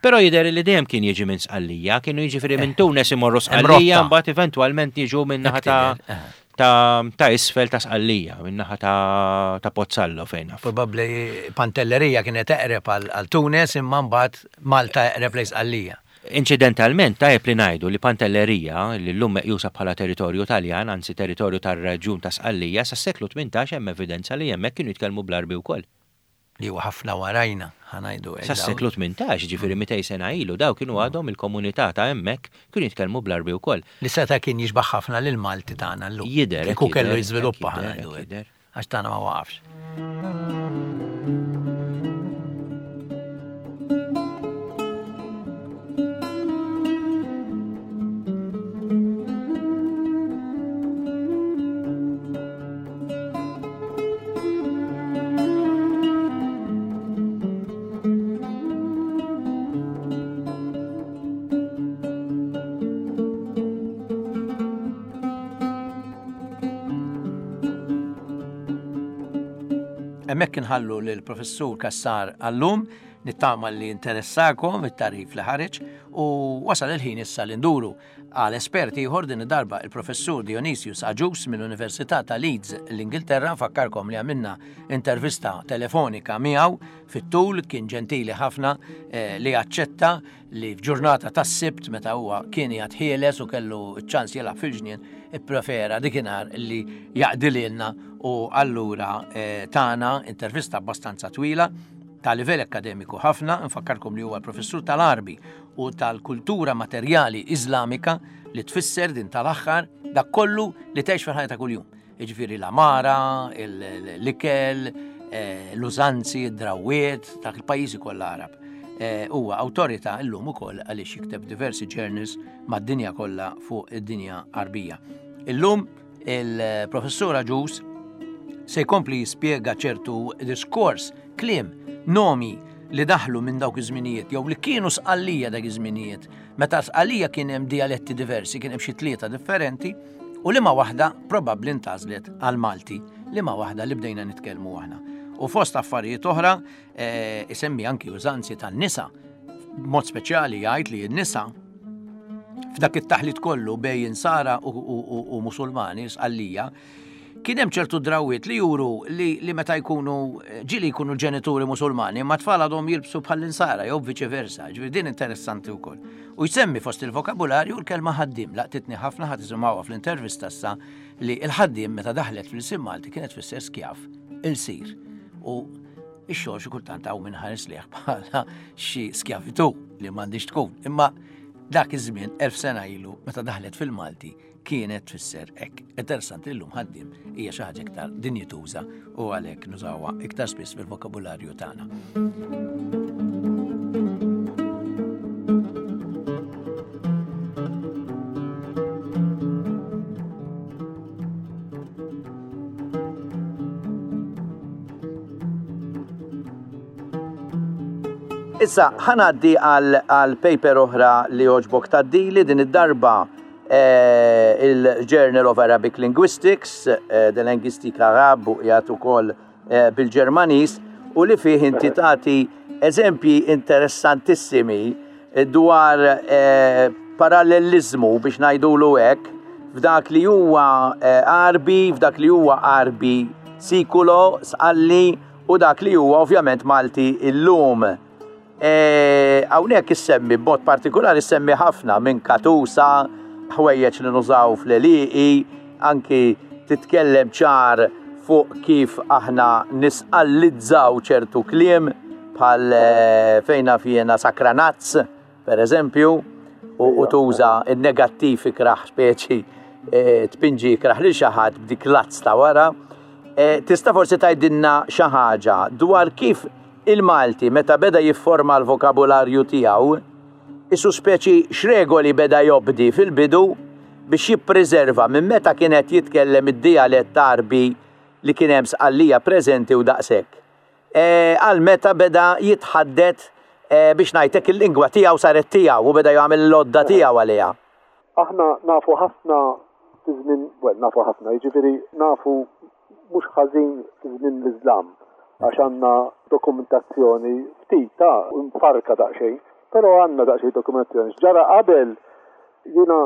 Però jidher li dejjem kien jiġi minn Sqallija, kienu jiġifieri minn Tunes imorru Sqallija, rotta. mbagħad eventwalment jiġu minn naħa ta' Hekk tidher, eh. ta' ta' isfel ta' Sqallija, minn naħa ta' ta' Pozzallo fejn naf. Probabbli Pantellerija kienet eqreb għal għal Tunes imma mbagħad Malta eqreb lejn Sqallija. Inċidentalment, tajjeb li ngħidu li Pantellerija, li llum meqjusa bħala territorju Taljan, anzi territorju tar-reġjun ta' Sqallija, sas-seklu tmintax hemm evidenza li hemmhekk kienu jitkellmu bl-Arbi wkoll. Li huwa ħafna warajna, ħa ngħidu hekk. Sas-seklu tmintax, ġifieri mitejn sena ilu, daw kienu għadhom il-komunità ta' hemmhekk kienu jitkellmu bl-Arbi wkoll. Li seta' kien jixbaħ ħafna lil Malti tagħna llum. Jidher, Kieku hekk kellu jidher, jiżviluppa hekk jidher, ħa ngħidu hekk hekk. jidher. Għax tagħna ma waqafx. Hemmhekk inħallu lill-Professur Cassar għallum, nittama li interessakom it-tarif li ħareġ u wasal il-ħin issa li nduru għal esperti ieħor din id-darba il-Professur Dionysius Agius mill-Università ta' Leeds l-Ingilterra. Nfakkarkom li għamilna intervista telefonika miegħu fit-tul, kien ġentili ħafna eh, li aċċetta li f'ġurnata tas-Sibt meta huwa kien qiegħed ħieles u kellu ċ-ċans jilgħab fil-ġnien, ipprefera dikinhar li jaqdi lilna u allura eh, tana intervista abbastanza twila ta' livell akademiku ħafna. Nfakkarkom li huwa professur tal-Arbi u tal-kultura materjali Iżlamika, li tfisser din tal-aħħar dak kollu li tgħix fil-ħajja ta' kuljum. Jiġifieri l-amara, l-ikel, eh, l-użanzi, id-drawiet ta' il-pajjiżi kollha Arab. Eh, Huwa awtorità llum ukoll għaliex jikteb diversi journals mad-dinja kollha fuq id-dinja Arbija. Illum il-professur Agius Se jkompli jispjega ċertu diskors, kliem, nomi li daħlu minn dawk iż-żminijiet jew li kienu Sqallija dak iż-żminijiet. Meta Sqallija kien hemm dialetti diversi, kien hemm xi tlieta differenti, u liema waħda probabbli ntgħażlet għal Malti, liema waħda li bdejna nitkellmu aħna. U fost affarijiet oħra, eh, isemmi anki użanzi tan-nisa. B'mod speċjali jgħid li n-nisa f'dak it-taħlit kollu bejn Insara u, u, u, u Musulmani, Sqallija, kien hemm ċertu drawiet li juru li, li meta jkunu ġieli jkunu ġenituri Musulmani, ma tfal għadhom jilbsu bħall-Insara jew viċi versa, ġifieri din interessanti wkoll. U jsemmi fost il-vokabularju l-kelma ħaddim, laqtitni ħafna ħa tisimgħuha fl-intervista issa li l-ħaddim meta daħlet fl-ilsien Malti kienet tfisser skjav, ilsir. U ix-xogħol xi kultant hawn min ħares lejh bħala xi skjavitu li m'għandix tkun. Imma dak iż-żmien elf sena ilu meta daħlet fil-Malti kienet tfisser hekk. Interessanti llum ħaddim hija xi ħaġa iktar dinjituża u għalhekk nużawha iktar spiss fil-vokabularju tagħna. Issa, ħa ngħaddi għal paper oħra li għoġbok tgħaddili din id-darba eh, il-Journal of Arabic Linguistics, eh, de Linguistique Arabe u qiegħed ukoll eh, bil-Ġermaniż, u li fih inti tagħti eżempji interessantissimi dwar eh, parallelizmu biex ngħidulu hekk f'dak li huwa eh, Għarbi, f'dak li huwa Għarbi Sikulo, Sqalli u dak li huwa ovvjament Malti illum. Hawnhekk issemmi b'mod partikolari issemmi ħafna minn katusa, ħwejjeġ li nużaw fl-għelieqi, anki titkellem ċar fuq kif aħna nisqallizzaw ċertu kliem bħal eh, fejna fjena sakranazz, per eżempju, u, u tuża il-negattiv ikraħ speċi eh, tpinġi ikraħ li xi ħadd b'dik l-azz ta' wara. Eh, tista' forsi tgħidilna xi ħaġa dwar kif il-Malti meta beda jifforma l-vokabularju tiegħu, isu speċi x'regoli beda jobdi fil-bidu biex jippreserva minn meta kienet jitkellem id-dialett Għarbi li kien hemm Sqallija preżenti u daqshekk. E, għal meta beda jitħaddet e, biex ngħidlek il-lingwa tiegħu saret tiegħu u beda jagħmel l-għodda tiegħu għaliha. Aħna nafu ħafna fi żmien, well, nafu ħafna, jiġifieri nafu mhux ħażin fi żmien l-Iżlam, għax għandna dokumentazzjoni ftit ta' mfarka daqsxejn, però għandna daqsxejn dokumentazzjoni. Ġara qabel jiena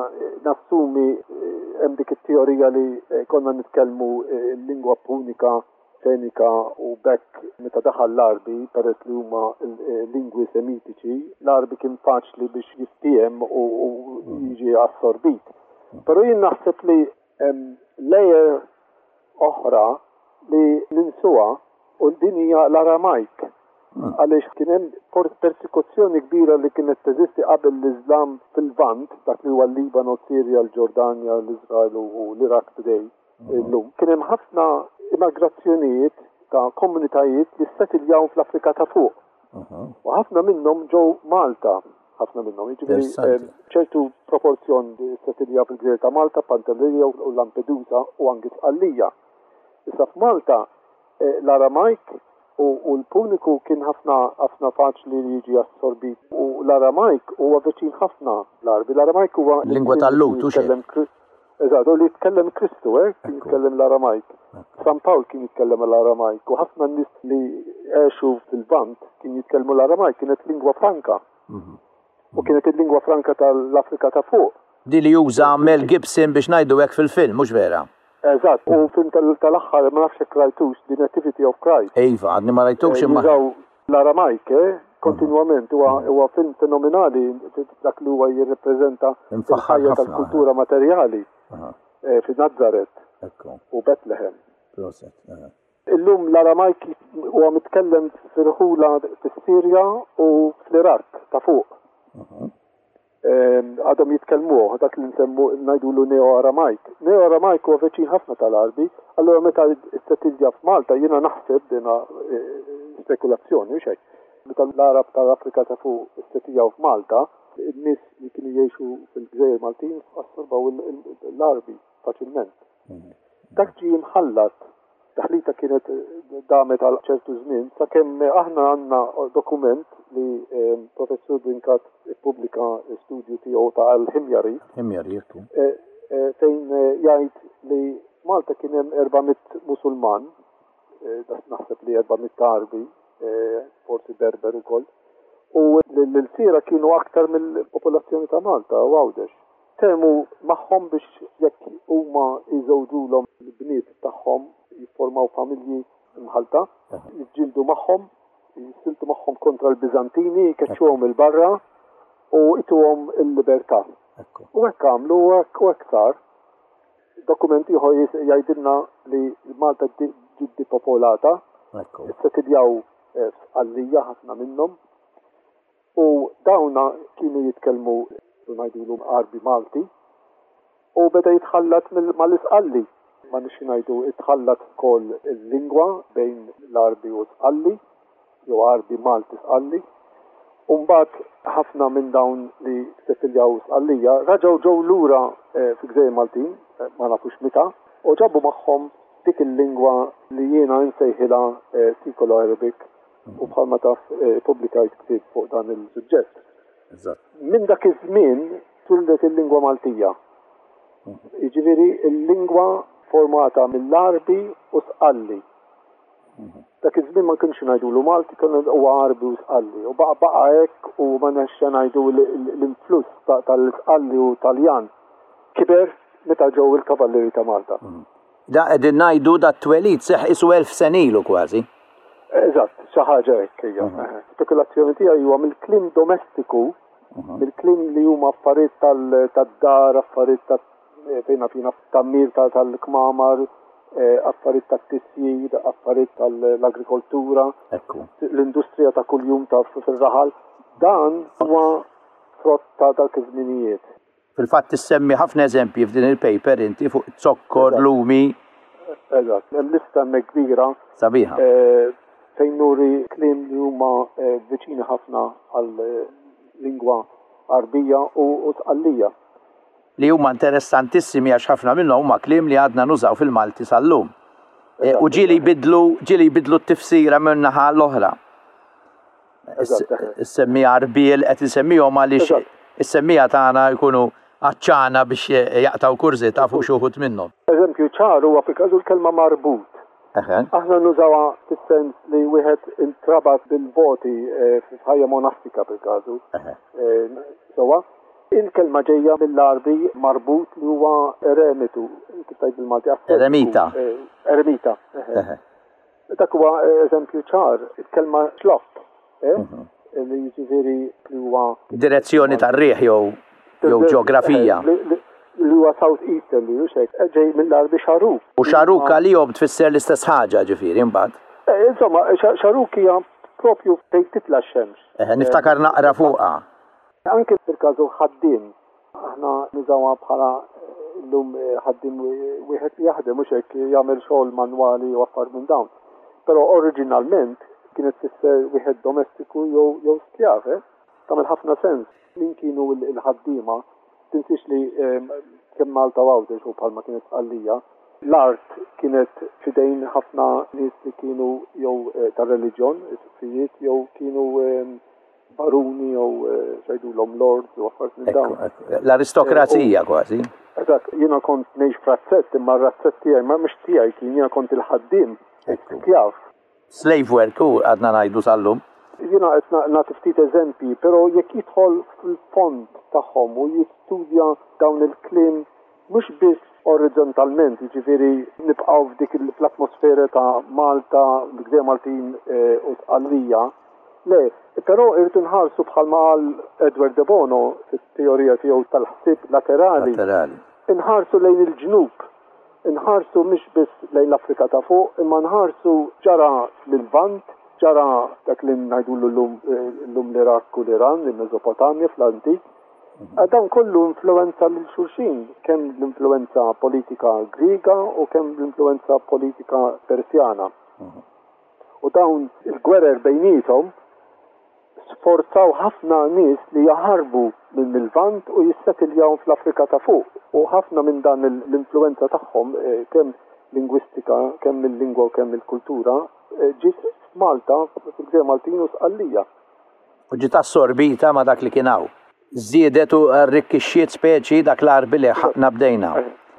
nassumi eh, hemm dik it-teorija li eh, konna nitkellmu eh, l-lingwa punika, fenika u bekk meta daħal l-Għarbi, peress li huma lingwi semitiċi, l-Għarbi kien faċli biex jiftiehem u, u jiġi assorbit. Però jien naħseb li hemm layer oħra li ninsuha u din hija l-Aramajk. Għaliex kien hemm persekuzzjoni kbira li kienet teżisti qabel l-Iżlam fil-Lvant, dak li huwa l-Libano, Sirja, l-Ġordanja, l-Iżrael u l-Iraq today illum. Kien hemm ħafna immigrazzjonijiet ta' komunitajiet li settiljaw fl-Afrika ta' fuq. U ħafna minnhom ġew Malta, ħafna minnhom, jiġifieri ċertu proporzjon li settiljaw fil-Gżejjer ta' Malta, Pantelleria u Lampedusa u anki Sqallija. Issa f'Malta l-Aramajk u l-Puniku kien ħafna ħafna faċli li jiġi assorbit u l-Aramajk huwa viċin ħafna l-Għarbi. L-Aramajk huwa lingwa tal-Lhud, u xejn. Eżatt, u li jitkellem Kristu, eh, kien jitkellem l-Aramajk. San Pawl kien jitkellem l-Aramajk u ħafna nies li għexu fil-Lvant kien jitkellmu l-Aramajk, kienet lingwa franka. U kienet il-lingwa franka tal-Afrika ta' fuq. Di li juża Mel Gibson biex ngħidu hekk fil-film, mhux vera? Eżatt, u film tal-aħħar ma nafx hekk rajtux, The Nativity of Christ. Iva, għadni ma rajtux imma. Jużaw l-Aramajk, eh, kontinwament, huwa film fenomenali dak li huwa jirrepreżenta il-ħajja tal-kultura materjali fi Nazzaret u Bethlehem. Proset. Illum l-Aramajk huwa mitkellem fil-ħula fis-Sirja u fl-Iraq ta' fuq. Għadhom jitkellmuh dak li nsemmu ngħidulu Neo-Aramajk. Neo-Aramajk huwa veċin ħafna tal-Għarbi, allura meta ssettilja f'Malta jiena naħseb dina spekulazzjoni u xejn. Meta l-Għarab tal-Afrika ta' fuq issettiljaw f'Malta, in-nies li kienu jgħixu fil-Gżejjer Maltin assorbaw l-Għarbi faċilment. Dak ġie mħallat Taħlita kienet damet għal ċertu żmien, sakemm aħna għandna dokument li Professur Brincat ippubblika studju tiegħu ta' Al-Himjari. Himjari, jekku. Fejn jgħid li Malta kien hemm erba' mitt Musulman, naħseb li erba' mitt Għarbi, forsi Berber ukoll, u l-ilsiera kienu aktar mill-popolazzjoni ta' Malta u Għawdex. Temu magħhom biex jekk huma jżewġulhom l-bniet tagħhom jifformaw familji mħalta, jiġġieldu magħhom, jissiltu magħhom kontra l-Biżantini, jkeċċuhom il-barra u ituhom il-libertà. U hekk għamlu u hekk sar. Dokument ieħor jgħidilna li Malta ġiet dipopolata, issetiljaw f'Sqallija ħafna minnhom, u dawna kienu jitkellmu ngħidulu Għarbi Malti, u beda jitħallat mal-Isqalli. Ma nixxi ngħidu itħallat ukoll il-lingwa bejn l-Għarbi u Sqalli, jew Għarbi Malti Sqalli. U mbagħad ħafna minn dawn li settiljaw Sqallija raġgħu ġew lura fi Gżejjer Maltin, ma nafux meta, u ġabu magħhom dik il-lingwa li jiena nsejħilha Sikolo Arabic, u bħalma taf pubblikajt ktieb fuq dan il-suġġett. Minn dak iż-żmien twieldet il-lingwa Maltija. Jiġifieri il-lingwa formata mill-Għarbi u Sqalli. Dak iż-żmien ma kienx ngħidulu Malti, kien huwa Għarbi u Sqalli. U baqa' baqa' hekk u ma nafx ngħidu l-influss tal-Sqalli u Taljan kiber meta ġew il-Kavallieri ta' Malta. Da qegħdin ngħidu da t-twelid seħħ isu elf sena ilu kważi. Eżatt, xi ħaġa hekk hija. Spekulazzjoni tiegħi huwa mill-kliem domestiku, mill-kliem li huma affarijiet tad-dar, affarijiet ta' fejna fina tammir tal-kmamar, affarijiet tat-tisjir, affarijiet tal-agrikoltura, l-industrija ta' kuljum ta' fir-raħal. Dan huwa frott ta' dak iż-żminijiet. Fil-fatt issemmi ħafna eżempji f'din il-paper inti fuq zokkor, lumi. Eżatt, hemm lista hemmhekk kbira. Sabiħa. Fejn nuri kliem li huma viċini ħafna għal lingwa Għarbija u Sqallija. Li huma interessantissimi għax ħafna minnhom huma kliem li għadna nużaw fil-Malti sal-lum. U ġieli jbidlu, ġieli jbidlu t-tifsira minn naħa l-oħra. Issemmi Għarbiel qed insemmihom għaliex is-semmija tagħna jkunu għaċċana biex jaqtaw kurżità fuq xi wħud minnhom. Eżempju ċar huwa fil-każu l-kelma marbut. Aħna nużawha fis-sens li wieħed intrabat bil-voti f'ħajja monastika fil-każu. Sewwa, il-kelma ġejja mill-Għarbi marbut li huwa eremitu, kif tgħid bil-Malti, ascetiku. Eremita. Eremita. Dak huwa eżempju ċar, il-kelma xlokk, li jiġifieri li huwa direzzjoni tar-riħ jew jew ġeografija. Li huwa South Easterly, u xejn, ġej mill-Għarbi xaruk. U xaruk għalihom tfisser l-istess ħaġa ġifieri imbagħad. Insomma, xaruk hija propju fejn titla' x-xemx. Eħe, niftakar naqra fuqha. Anke fil-każu ħaddiem, aħna nużawha bħala llum ħaddiem wieħed li jaħdem mhux hekk jagħmel xogħol manwali u affarijiet minn dawn. Però oriġinalment kienet tfisser wieħed domestiku jew jew skjav, eh? Tagħmel ħafna sens. Min kienu l-ħaddiema, tinsiex li kemm Malta u Għawdex u bħalma kienet Sqallija, l-art kienet fidejn ħafna nies li kienu jew tar-reliġjon, isqfijiet, jew kienu baruni jew x'għidulhom lords u affarijiet minn dawn. L-aristokrazija kważi. Eżatt, jiena kont ngħix f'razzett, imma r-razzett tiegħi ma mhux tiegħi kien, jiena kont il-ħaddiem, skjav. Slave work u għadna ngħidu sal-lum. Jiena qed nagħti ftit eżempji, però jekk jidħol fil-fond tagħhom u jistudja dawn il-kliem mhux biss orizzontalment, jiġifieri nibqgħu f'dik l-atmosfera ta' Malta, l-Gżejjer Maltin u Sqallija, le, però irrid inħarsu bħalma qal Edward de Bono fit-teorija tiegħu tal-ħsieb laterali. Laterali. Inħarsu lejn il-ġnub, inħarsu mhux biss lejn l-Afrika ta' fuq, imma nħarsu ġara l-Lvant, ġara dak li ngħidulu llum, llum l-Iraq u l-Iran, il-Mesopotamja fl-antik. Dan kollu influenza lil xulxin, kemm l-influenza politika Griega u kemm l-influenza politika Persjana. U dawn il-gwerer bejniethom sforzaw ħafna nies li jaħarbu minn il-Lvant u jissettiljaw fl-Afrika ta' fuq. U ħafna minn dan l-influenza tagħhom, kemm lingwistika, kemm il-lingwa u kemm il-kultura, ġiet f'Malta, fil-Gżejjer Maltin u Sqallija. U ġiet assorbita ma' dak li kien hawn. Żiedet u arrikkixxiet speċi dak l-Għarbi li ħaqna bdejna.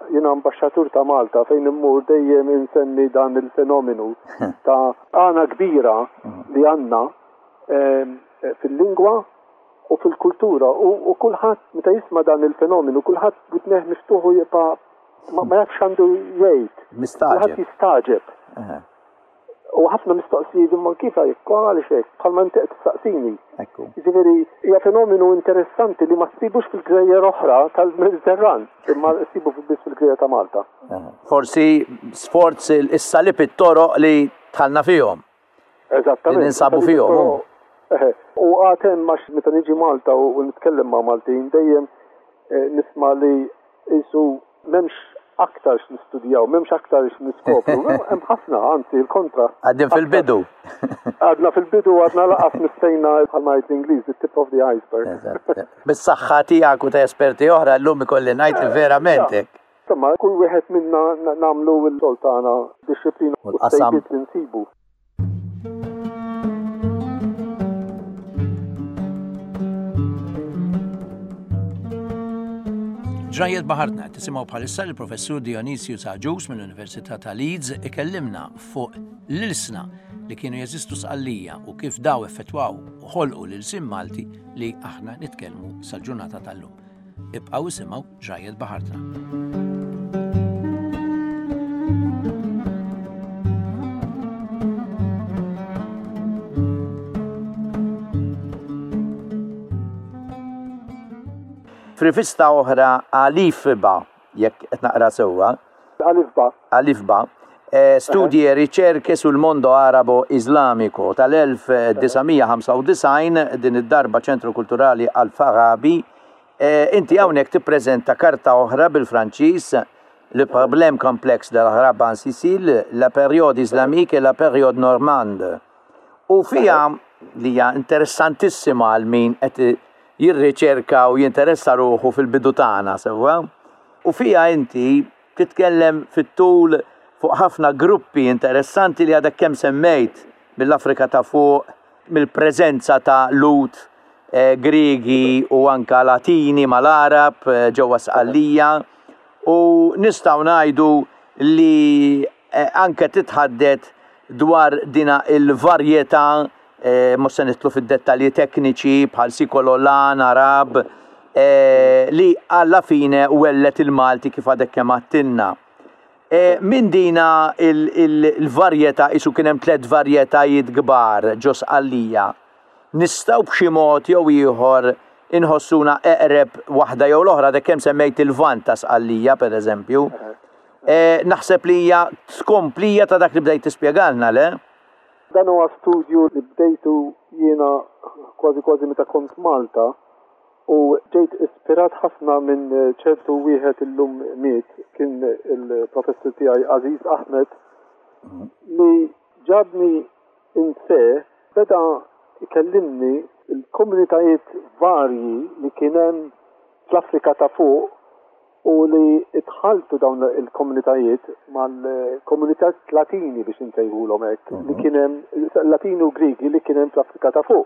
Jiena ambaxxatur ta' Malta fejn immur dejjem insemmi dan il-fenomenu ta' għana kbira li għandna fil-lingwa u fil-kultura u kulħadd meta jisma' dan il-fenomenu kulħadd b'widnejh miftuħ u jibqa' ma jafx għandu jgħid. Mistagħġeb. Kulħadd jistagħġeb. U ħafna mistoqsijiet imma kif hekk, għaliex hekk, bħalma inti qed tistaqsini. Ekku. Jiġifieri hija fenomenu interessanti li ma ssibux fil-gżejjer oħra tal-Mediterran, imma ssibu biss fil-gżejjer ta' Malta. Forsi sforz is-salib it-toroq li dħalna fihom. Eżattament. Li ninsabu fihom. U għad hemm għax meta niġi Malta u nitkellem ma' Maltin dejjem nisma' li qisu m'hemmx aktar x'nistudjaw, m'hemmx aktar x'niskopru. Hemm ħafna, anzi il-kontra. Għadin fil-bidu. Għadna fil-bidu, għadna laqas mistejna bħalma jgħid l-Ingliż, the tip of the iceberg. Eżatt. Bis-saħħa tiegħek u ta' esperti oħra llum ikolli ngħid li verament hekk. Insomma, kull wieħed minna nagħmlu l-xogħol tagħna, dixxiplina u l-qasam li nsibu. Ġrajjiet Baħartna tisimgħu bħalissa l-Professur Dionysius Agius mill-Università ta' Leeds ikellimna fuq l-ilsna li kienu jeżistu Sqallija u kif daw effettwaw u ħolqu l-ilsien Malti li aħna nitkellmu sal-ġurnata tal-lum. Ibqgħu isimgħu Ġrajjiet Baħartna. F'rivista oħra Alifba, jekk qed naqra sewwa. Alifba. Alifba. Studji e ricerche sul mondo arabo islamico tal-elf disa' mija ħamsa u disgħin, din id-darba Ċentru Kulturali Al-Farabi. Inti hawnhekk tippreżenta karta oħra bil-Franċiż, Le problème complexe de l'arabe en Sicile, la période islamique et la période normande. U fija li hija interessantissima għal min qed jirriċerka u jinteressa ruħu fil-bidu tagħna sewwa. U fija inti titkellem fit-tul fuq ħafna gruppi interessanti li għadek kemm semmejt mill-Afrika ta' fuq, mill-preżenza ta' Lut, Griegi u anka Latini mal-Arab ġewwa Sqallija. U nistgħu ngħidu li anke titħaddet dwar dina il-varjetà, mhux se nidħlu fid-dettalji tekniċi bħal Sikololan, Arab, li alla fine wellet il-Malti kif għadek kemm għattilna. Min dina il-varjetà, isu kien hemm tliet varjetajiet kbar ġo Sqallija. Nistgħu b'xi mod jew ieħor inħossuna eqreb waħda jew l-oħra, għadek kemm semmejt il-Lvant ta' Sqallija pereżempju. Naħseb li hija tkomplija ta' dak li bdejt tispjegalna, le? Dan huwa studju li bdejtu jiena kważi kważi meta kont Malta u ġejt ispirat ħafna minn ċertu wieħed illum miet, kien il-professur tiegħi Aziz Ahmed, li ġabni inse beda ikellimni il-komunitajiet varji li kien hemm fl-Afrika ta' fuq u li itħaltu dawn il-komunitajiet mal-komunitajiet Latini biex insejħulhom hekk, li kien hemm Latini u Griegi li kien hemm fl-Afrika ta' fuq.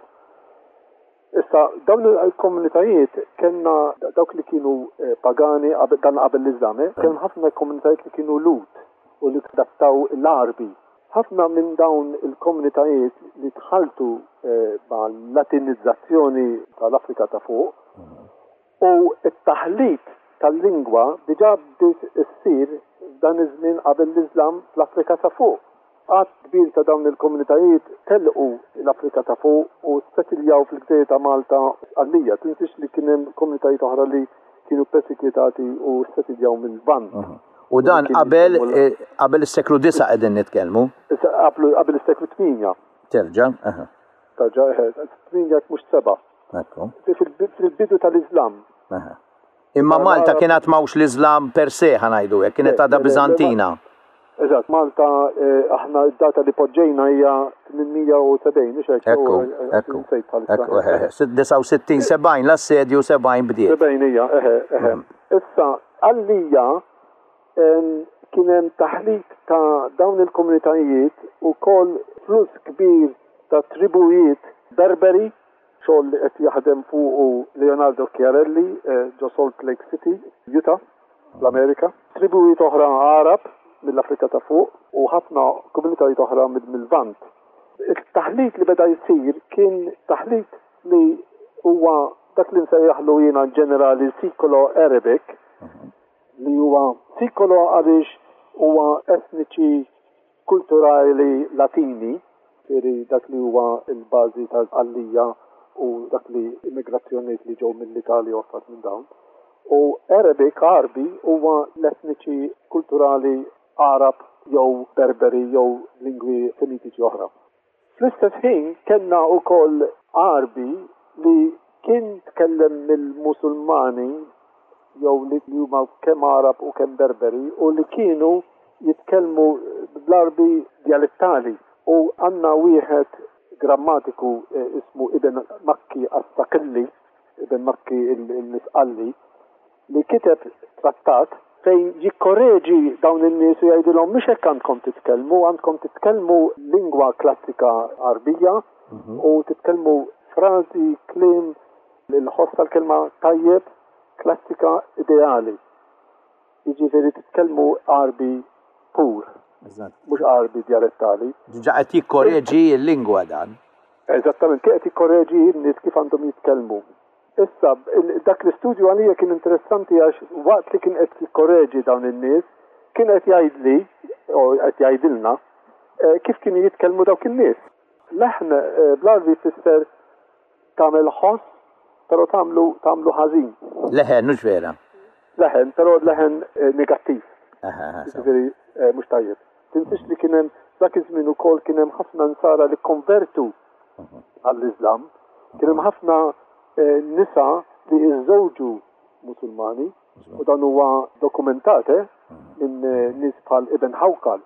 Issa dawn il-komunitajiet kellna dawk li kienu pagani dan qabel l-Iżlam, kien ħafna komunitajiet li kienu Lut u li adattaw l-Għarbi. Ħafna minn dawn il-komunitajiet li tħaltu mal-Latinizzazzjoni tal-Afrika ta' fuq u t-taħlit tal-lingwa diġà bdiet issir f'dan iż-żmien qabel l-Iżlam fl-Afrika ta' fuq. Għadd kbir ta' dawn il-komunitajiet telqu l-Afrika ta' fuq u settiljaw fil-gżejjer ta' Malta Sqallija. Tinsiex li kien hemm komunitajiet oħra li kienu persekwitati u settiljaw mill-Lvant. U dan qabel qabel is-seklu disa' qegħdin nitkellmu? Qabel is-seklu tmienja. Terġa', aha. Terġa', eħe, tmienja mhux seba'. Ekku. Fil-bidu tal-Iżlam. Aha. Imma Malta kienet mawx l-Iżlam per se, ħanajdu hekk, kienet għadha Biżantina. Eżatt, Malta aħna d-data li poġġejna hija tmien mija u sebgħin, mhux hekk? Ekku, ekku. Ekku, eħe, disa' u sittin, sebgħin, l-assedju sebgħin bdiet. Sebgħin hija, eħe, eħe. Issa, għalija Kien hemm taħlit ta' dawn il-komunitajiet ukoll flus kbir ta' tribujiet Berberi, xogħol li qed jaħdem fuqu Leonardo Chiarelli eh, ġo Salt Lake City, Utah, l-Amerika. Tribujiet oħra Arab mill-Afrika ta' fuq u ħafna komunitajiet oħra mill-Lvant. Il-taħlit li beda jsir kien taħlit li huwa dak li nsejjaħlu jiena ġenerali Siculo Arabic, li huwa Siculo għaliex huwa etniċi kulturali Latini, ġifieri dak li huwa l-bażi tal-Għallija u dak li immigrazzjonijiet li ġew mill-Italja u affarijiet minn dawn. U Arabic, Għarbi, huwa l-etniċi kulturali Arab jew Berberi jew lingwi Semitiċi oħra. Fl-istess ħin kellna wkoll Għarbi li kien tkellem mill-Musulmani jew li huma kemm Arab u kemm Berberi u li kienu jitkellmu bl-Għarbi dialettali. U għandna wieħed grammatiku eh, ismu Ibn Makki as-Sakilli, Ibn Makki l-Isqalli, li kiteb trattat fejn jikkoreġi dawn in-nies u jgħidilhom mhux hekk għandkom titkellmu, għandkom titkellmu lingwa klassika Għarbija u titkellmu frażi, kliem, il-ħoss tal-kelma tajjeb, klassika ideali. Jiġifieri titkellmu Għarbi pur, mhux Għarbi dialettali. Ġa qed jikkoreġi l-lingwa dan. Eżattament, kien qed jikkoreġi n-nies kif għandhom jitkellmu. Issa, dak l-istudju għalija kien interessanti għax waqt li kien qed jikkoreġi dawn in-nies, kien qed jgħidli, u qed jgħidilna, eh, kif kienu jitkellmu dawk in-nies. Leħn eh, bl-Għarbi tfisser tagħmel ħoss, però tagħmlu tagħmlu ħażin. Leħen, mhux vera. Leħen, però leħen eh, negattiv. Jiġifieri mhux tajjeb. Tinsiex li kien hemm dak iż-żmien ukoll kien hemm ħafna nsara li konvertu għall-Iżlam. Kien hemm ħafna nisa li iżżewġu Musulmani u dan huwa dokumentat eh, minn nies bħal Ibn Hawkal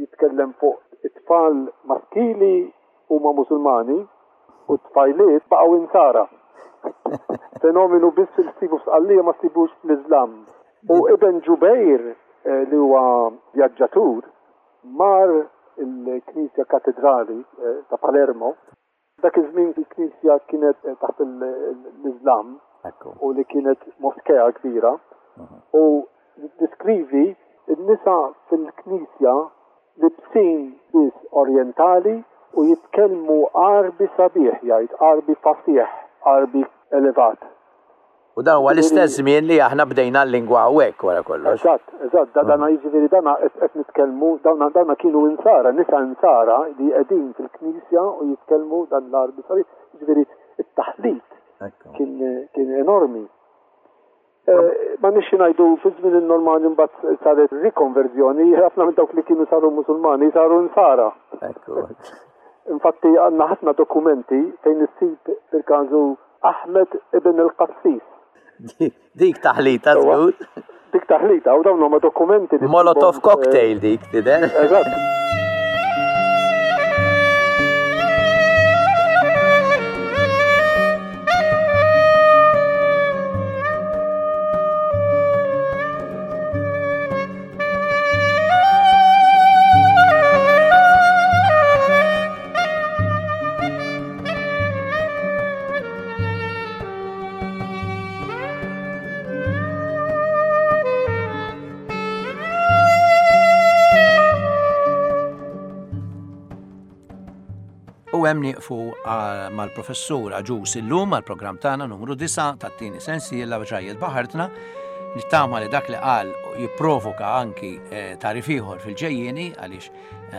jitkellem fuq it-tfal maskili huma Musulmani u t-tfajliet baqgħu insara. Fenomenu biss li ssibu f'Sqallija ma ssibux fl-Iżlam. U Ibn Ġubejr eh, li huwa vjaġġatur mar il-Knisja Katedrali eh, ta' Palermo. Dak iż-żmien il-Knisja kienet taħt l-Iżlam u li kienet moskea kbira u diskrivi n-nisa fil-Knisja libsin biss orientali u jitkellmu Għarbi sabiħ, jgħid Għarbi fasih, Għarbi elevat. U dan huwa l-istess żmien li aħna bdejna l-lingwa hawnhekk wara kollox. Eżatt, eżatt, da dana jiġifieri dana qed nitkellmu, dawna dawna kienu insara, nisa insara li qegħdin fil-knisja u jitkellmu dan l-Għarbi sabiħ, jiġifieri it-taħlit kien kien enormi. Ma nixxi ngħidu fi żmien in-Normani mbagħad saret rikonverżjoni, ħafna minn dawk li kienu saru Musulmani saru insara. Ekku. Infatti għandna ħafna dokumenti fejn issib fil-każu Ahmed ibn il-Qassis. Dik taħlita żgur. Dik taħlita, u dawn huma dokumenti. Molotov cocktail dik tidher. Eżatt. U hemm nieqfu mal-professur Agius illum għall-programm tagħna numru disgħa tat-tieni sensiela Ġrajjiet Baħartna. Nittama li dak li qal jipprovoka anki tarif ieħor fil-ġejjieni għaliex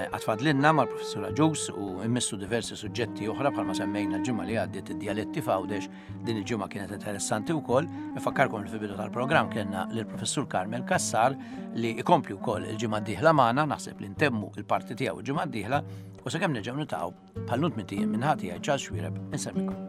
għatfadlinna mal-professur Agius u immissu diversi suġġetti oħra bħalma semmejna l-ġimgħa li għaddiet id-dialetti f'Għawdex. Din il-ġimgħa kienet interessanti wkoll. Nfakkarkom li fil-bidu tal-programm kellna lill-professur Carmel Cassar li ikompli wkoll il-ġimgħa d-dieħla magħna, naħseb li ntemmu il-parti tiegħu il-ġimgħa d-dieħla u sakemm nerġgħu niltaqgħu bħal nunt minn ħati għaj Charles Xuereb insemmikom.